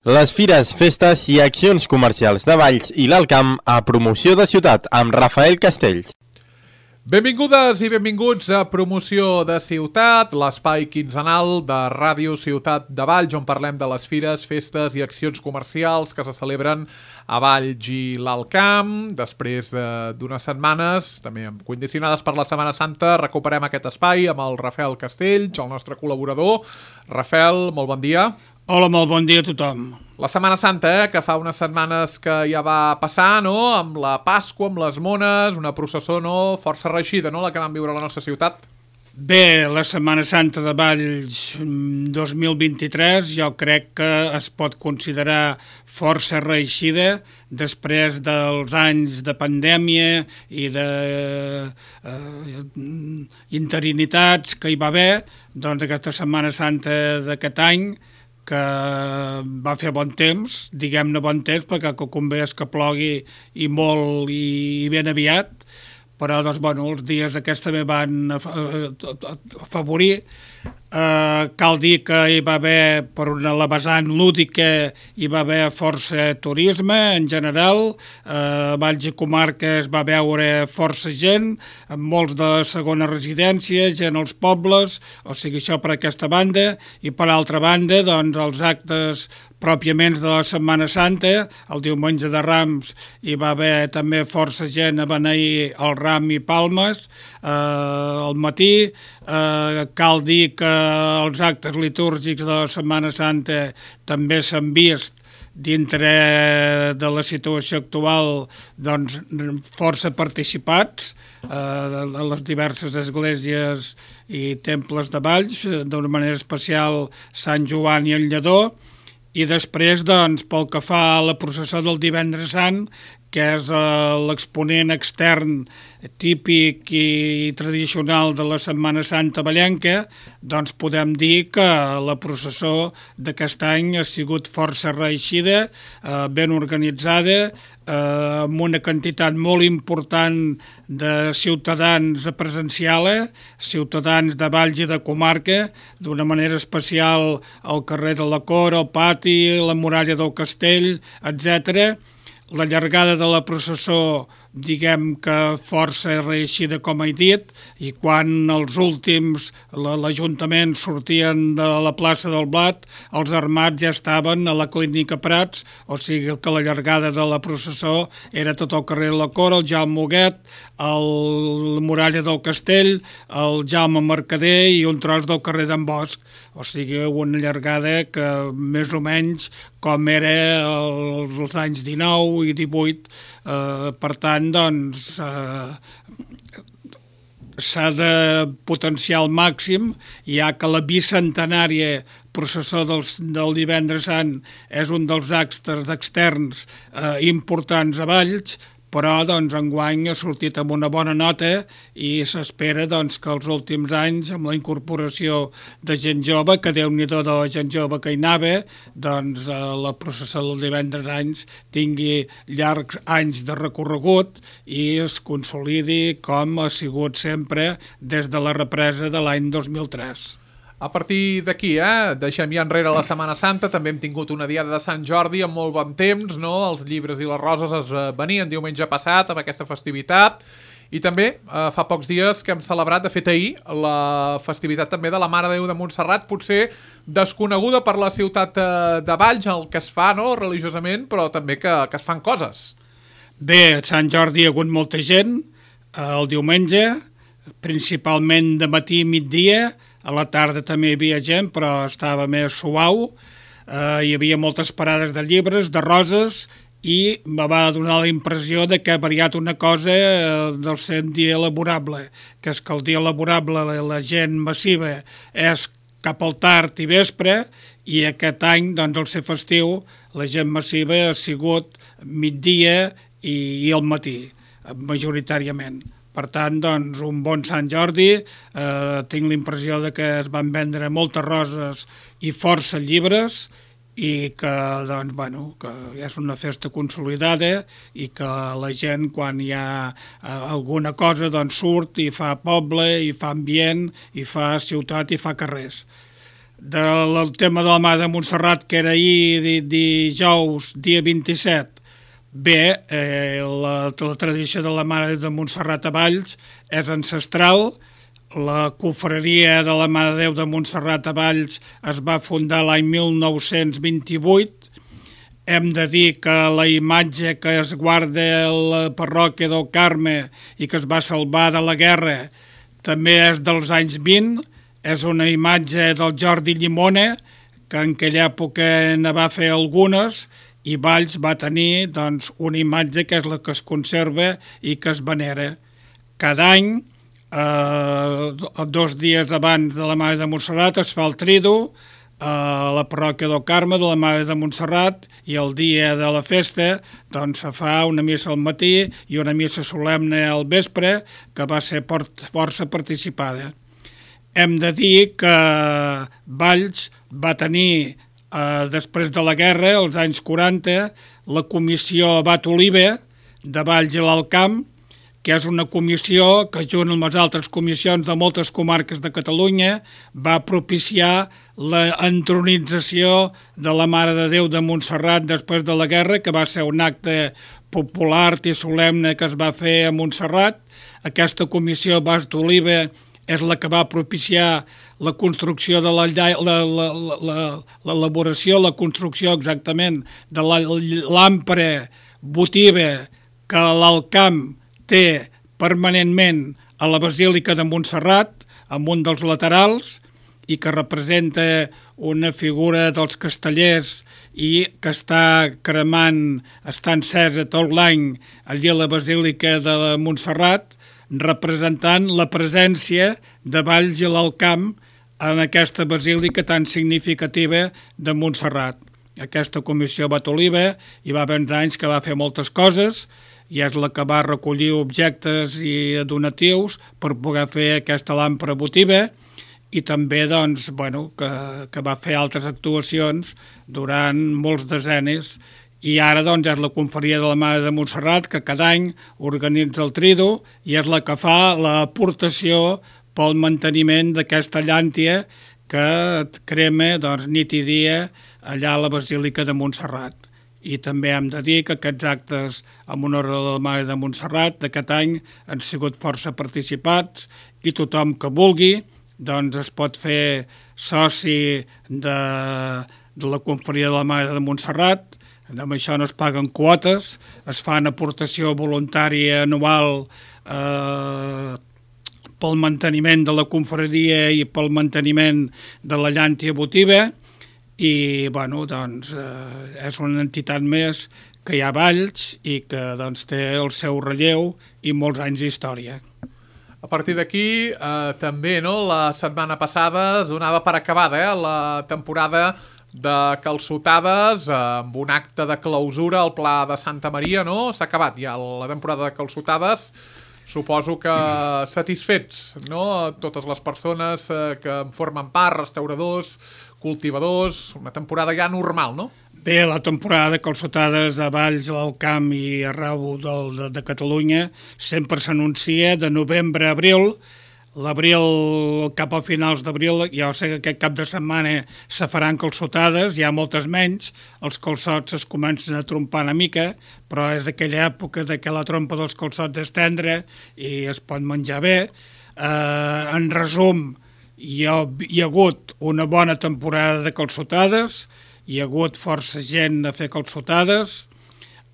Les fires, festes i accions comercials de Valls i l'Alt Camp a Promoció de Ciutat amb Rafael Castells. Benvingudes i benvinguts a Promoció de Ciutat, l'espai quinzenal de Ràdio Ciutat de Valls, on parlem de les fires, festes i accions comercials que se celebren a Valls i l'Alt Camp. Després d'unes setmanes, també condicionades per la Setmana Santa, recuperem aquest espai amb el Rafael Castells, el nostre col·laborador. Rafael, molt bon dia. Hola, molt bon dia a tothom. La Setmana Santa, que fa unes setmanes que ja va passar, no?, amb la Pasqua, amb les mones, una processó, no?, força reeixida, no?, la que vam viure a la nostra ciutat. Bé, la Setmana Santa de Valls 2023 jo crec que es pot considerar força reeixida després dels anys de pandèmia i de interinitats que hi va haver. Doncs aquesta Setmana Santa d'aquest any, que va fer bon temps, diguem-ne bon temps, perquè que convé és que plogui i molt i ben aviat, però doncs, bueno, els dies aquests també van afavorir. Cal dir que hi va haver, per la vessant lúdica, hi va haver força turisme en general. A Valls i comarques va veure força gent, molts de segona residència, gent als pobles, o sigui, això per aquesta banda. I per altra banda, doncs, els actes pròpiament de la Setmana Santa, el diumenge de Rams, hi va haver també força gent a beneir el ram i palmes al matí. Cal dir que els actes litúrgics de la Setmana Santa també s'han vist dintre de la situació actual, doncs, força participats a les diverses esglésies i temples de Valls, d'una manera especial Sant Joan i el Lledó. I després, doncs, pel que fa a la processó del Divendres Sant, que és l'exponent extern típic i tradicional de la Setmana Santa vallenca, doncs podem dir que la processó d'aquest any ha sigut força reeixida, ben organitzada, amb una quantitat molt important de ciutadans a presenciar-la, ciutadans de Valls i de comarca, d'una manera especial al carrer de la Cor, al pati, la muralla del castell, etc. La llargada de la processó, diguem que força reeixida, com he dit, i quan els últims, l'Ajuntament sortien de la plaça del Blat, els armats ja estaven a la clínica Prats, o sigui que la llargada de la processó era tot el carrer de la Cor, el Jaume Huguet, la muralla del Castell, el Jaume Mercader i un tros del carrer d'en Bosch. O sigui, una llargada que més o menys com era els anys 19 i 18. Per tant, doncs, s'ha de potenciar al màxim, ja que la bicentenària processó del Divendres Sant és un dels actes externs importants a Valls, però doncs, enguany ha sortit amb una bona nota i s'espera doncs, que els últims anys, amb la incorporació de gent jove, que Déu-n'hi-do de la gent jove que hi anava, doncs la processó del Divendres anys tingui llargs anys de recorregut i es consolidi com ha sigut sempre des de la represa de l'any 2003. A partir d'aquí, deixem ja enrere la Setmana Santa, també hem tingut una diada de Sant Jordi amb molt bon temps, no? Els llibres i les roses es venien diumenge passat amb aquesta festivitat, i també fa pocs dies que hem celebrat, de fet ahir, la festivitat també de la Mare de Déu de Montserrat, potser desconeguda per la ciutat de Valls, el que es fa, no?, religiosament, però també que es fan coses. Bé, a Sant Jordi hi ha hagut molta gent, el diumenge, principalment de matí i migdia. A la tarda també hi havia gent, però estava més suau. Hi havia moltes parades de llibres, de roses, i em va donar la impressió de que ha variat una cosa del seu dia laborable, que és que el dia laborable la gent massiva és cap al tard i vespre, i aquest any, doncs, al ser festiu, la gent massiva ha sigut migdia i al matí, majoritàriament. Per tant, doncs, un bon Sant Jordi. Tinc la impressió de que es van vendre moltes roses i força llibres i que, doncs, bueno, que és una festa consolidada i que la gent, quan hi ha alguna cosa, doncs surt i fa poble, i fa ambient, i fa ciutat, i fa carrers. del tema de la Mare de Montserrat, que era ahir dijous, dia 27, bé, la tradició de la Mare de Montserrat a Valls és ancestral. La confraria de la Mare de Déu de Montserrat a Valls es va fundar l'any 1928. Hem de dir que la imatge que es guarda a la parròquia del Carme i que es va salvar de la guerra també és dels anys 20. És una imatge del Jordi Llimona, que en aquella època ne va fer algunes, i Valls va tenir doncs, una imatge que és la que es conserva i que es venera. Cada any, 2 dies abans de la Mare de Montserrat, es fa el trido a la parròquia del Carme de la Mare de Montserrat, i el dia de la festa doncs, se fa una missa al matí i una missa solemne al vespre, que va ser força participada. Hem de dir que Valls va tenir, després de la guerra, als anys 40, la comissió Abat Oliva de Valls i l'Alt Camp, que és una comissió que, junt amb les altres comissions de moltes comarques de Catalunya, va propiciar la entronització de la Mare de Déu de Montserrat després de la guerra, que va ser un acte popular i solemne que es va fer a Montserrat. Aquesta comissió Abat Oliva és la que va propiciar la construcció de l'elaboració, la construcció exactament de l'àmplia votiva que l'Alt Camp té permanentment a la Basílica de Montserrat, amb un dels laterals, i que representa una figura dels castellers i que està cremant, està encesa tot l'any allí a la Basílica de Montserrat, representant la presència de Valls i l'Alt Camp en aquesta basílica tan significativa de Montserrat. Aquesta comissió Abat Oliva hi va haver anys que va fer moltes coses, i és la que va recollir objectes i donatius per poder fer aquesta làmpara votiva, i també doncs, que va fer altres actuacions durant molts decennis. I ara doncs, és la confraria de la Mare de Montserrat que cada any organitza el trido i és la que fa l'aportació pel manteniment d'aquesta llàntia que crema nit i dia allà a la Basílica de Montserrat. I també hem de dir que aquests actes en honor a la Mare de Montserrat d'aquest any han sigut força participats, i tothom que vulgui doncs es pot fer soci de la confraria de la Mare de Montserrat. Amb això no es paguen quotes, es fa una aportació voluntària anual pel manteniment de la confraria i pel manteniment de la llàntia votiva, i és una entitat més que hi ha a Valls i que té el seu relleu i molts anys d'història. A partir d'aquí, també la setmana passada es donava per acabada la temporada de calçotades amb un acte de clausura al Pla de Santa Maria, no? S'ha acabat ja la temporada de calçotades. Suposo que satisfets, no? Totes les persones que en formen part, restauradors, cultivadors, una temporada ja normal, no? Bé, la temporada de calçotades a Valls, a l'Alt Camp i arreu de Catalunya sempre s'anuncia de novembre a abril. L'abril, cap a finals d'abril, ja sé que aquest cap de setmana se faran calçotades, hi ha moltes menys, els calçots es comencen a trompar una mica, però és aquella època que la trompa dels calçots és tendra i es pot menjar bé. En resum, hi ha hagut una bona temporada de calçotades, hi ha hagut força gent a fer calçotades,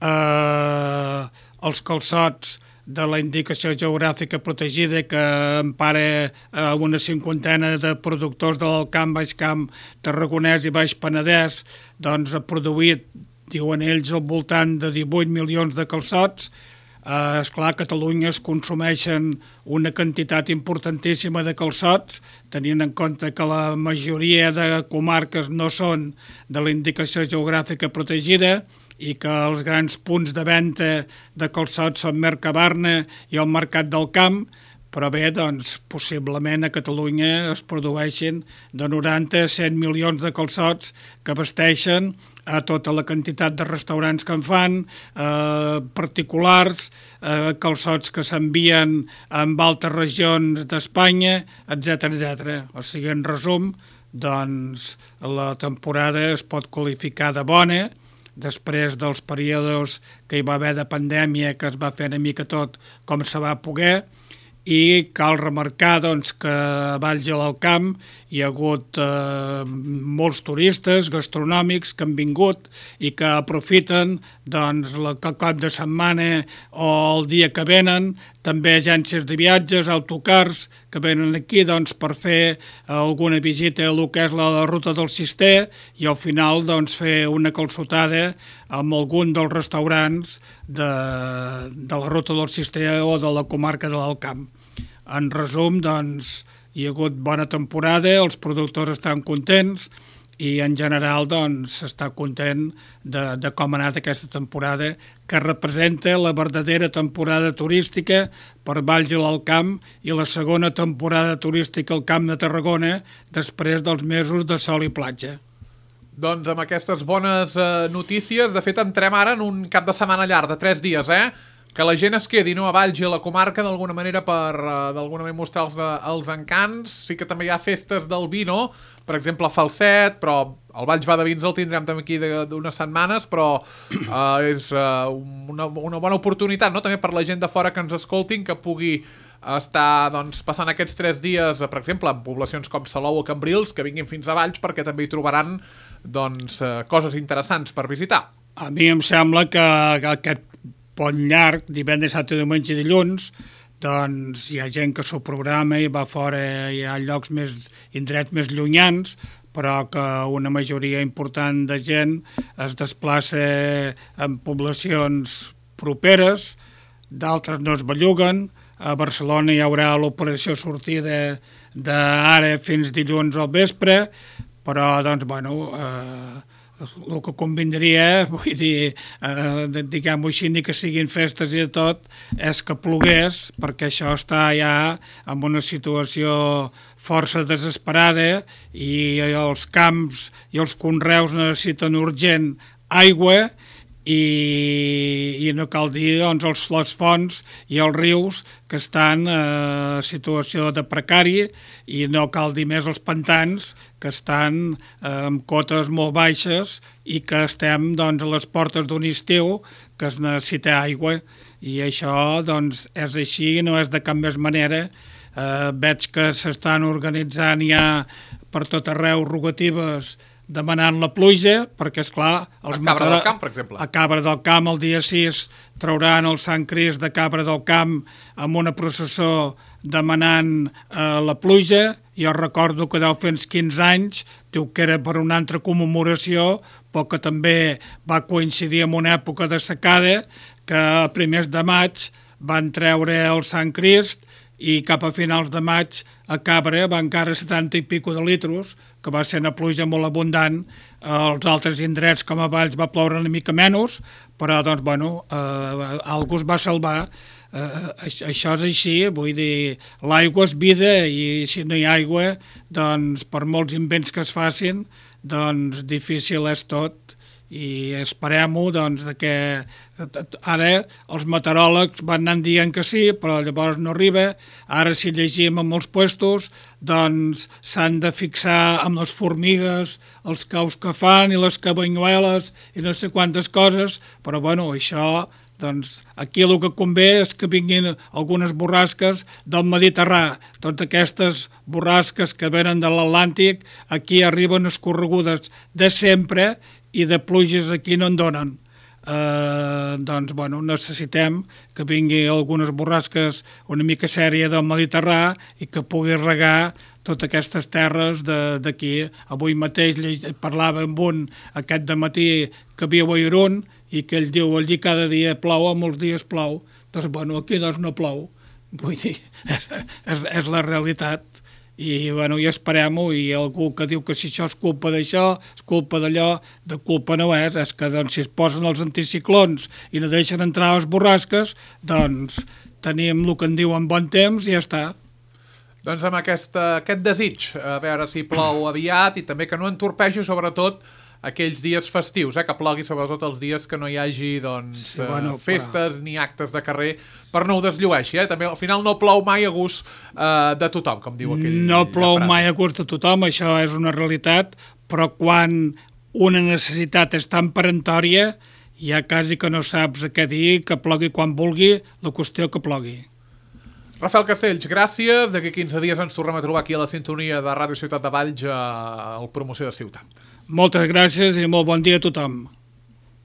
els calçots de la indicació geogràfica protegida que empara una cinquantena de productors de l'Alt Camp, Baix Camp, Tarragonès i Baix Penedès, doncs ha produït, diuen ells, al voltant de 18 milions de calçots. Esclar, a Catalunya es consumeixen una quantitat importantíssima de calçots, tenint en compte que la majoria de comarques no són de la indicació geogràfica protegida, i que els grans punts de venda de calçots són Mercabarna i el Mercat del Camp, però bé, doncs, possiblement a Catalunya es produeixen de 90 a 100 milions de calçots que abasteixen a tota la quantitat de restaurants que en fan, particulars, calçots que s'envien en altres regions d'Espanya, etc. O sigui, en resum, doncs la temporada es pot qualificar de bona, després dels períodes que hi va haver de pandèmia, que es va fer una mica tot com se va poder, i cal remarcar doncs, que a Valls i l'Alt Camp hi ha hagut molts turistes gastronòmics que han vingut i que aprofiten doncs, el cap de setmana o el dia que venen, també agències de viatges, autocars que venen aquí doncs, per fer alguna visita a el que és la ruta del Cister i al final doncs, fer una calçotada amb algun dels restaurants de la ruta del Cister o de la comarca de l'Alt Camp. En resum, doncs, hi ha hagut bona temporada, els productors estan contents i en general doncs, s'està content de com ha anat aquesta temporada, que representa la verdadera temporada turística per Valls i l'Alt Camp i la segona temporada turística al Camp de Tarragona després dels mesos de sol i platja. Doncs amb aquestes bones notícies, de fet entrem ara en un cap de setmana llarg de 3 dies, que la gent es quedi a Valls i a la comarca d'alguna manera per d'alguna manera mostrar els encants. Sí que també hi ha festes del vi, no? Per exemple, Falset, però el Valls va de vins el tindrem també aquí d'unes setmanes, però és una bona oportunitat, no? També per la gent de fora que ens escoltin, que pugui estar doncs, passant aquests 3 dies, per exemple, en poblacions com Salou o Cambrils, que vinguin fins a Valls perquè també hi trobaran doncs, coses interessants per visitar. A mi em sembla que aquest pont llarg, divendres, dissabte, diumenge i dilluns, doncs hi ha gent que s'ho programa i va fora, hi ha llocs indrets més llunyans, però que una majoria important de gent es desplaça en poblacions properes, d'altres no es belluguen. A Barcelona hi haurà l'operació sortida d'ara fins dilluns al vespre, però, doncs, bueno, el que convindria, vull dir, diguem-ho així, ni que siguin festes i de tot, és que plogués, perquè això està ja en una situació força desesperada i els camps i els conreus necessiten urgent aigua i no cal dir doncs, les fonts i els rius que estan en situació de precari i no cal dir més els pantans que estan amb cotes molt baixes i que estem doncs, a les portes d'un estiu que es necessita aigua i això doncs, és així, no és de cap més manera. Veig que s'estan organitzant ja per tot arreu rogatives demanant la pluja, perquè, esclar... A Cabra del Camp, per exemple. A Cabra del Camp, el dia 6, trauran el Sant Crist de Cabra del Camp amb una processó demanant la pluja. Jo recordo que deu fer uns 15 anys, diu que era per una altra commemoració, però que també va coincidir amb una època de secada, que a primers de maig van treure el Sant Crist i cap a finals de maig a Cabra va encara 70 i pico de litros, que va ser una pluja molt abundant. Els altres indrets com a Valls va ploure una mica menys, però doncs, bueno, algú es va salvar. Això és així, vull dir, l'aigua és vida i si no hi ha aigua, doncs per molts invents que es facin, doncs difícil és tot. I esperem-ho, doncs, que ara els meteoròlegs van anar dient que sí, però llavors no arriba. Ara, si llegim amb els puestos, doncs s'han de fixar amb les formigues, els caus que fan i les cabanyueles i no sé quantes coses, però, bueno, això, doncs, aquí el que convé és que vinguin algunes borrasques del Mediterrani. Totes aquestes borrasques que venen de l'Atlàntic, aquí arriben escorregudes de sempre i de pluges aquí no en donen. Doncs, bueno, necessitem que vingui algunes borrasques una mica sèria del Mediterrani i que pugui regar totes aquestes terres d'aquí. Avui mateix parlava amb un aquest dematí que viu a Irún i que ell diu allí cada dia plou, a molts dies plou. Doncs, bueno, aquí doncs no plou. Vull dir, és la realitat. I, bueno, i esperem-ho, i algú que diu que si això és culpa d'això, és culpa d'allò, de culpa no és que doncs, si es posen els anticiclons i no deixen entrar les borrasques, doncs tenim el que en diuen bon temps i ja està. Doncs amb aquest desig, a veure si plou aviat i també que no entorpegi sobretot aquells dies festius, que plogui sobretot els dies que no hi hagi festes ni actes de carrer, per no ho desllueixi. També al final no plou mai a gust de tothom, com diu aquell. No plou mai a gust de tothom, això és una realitat, però quan una necessitat és tan peremptòria, ja quasi que no saps què dir, que plogui quan vulgui, la qüestió que plogui. Rafael Castells, gràcies. D'aquí 15 dies ens tornem a trobar aquí a la sintonia de Ràdio Ciutat de Valls al Promoció de Ciutat. Moltes gràcies i molt bon dia a tothom.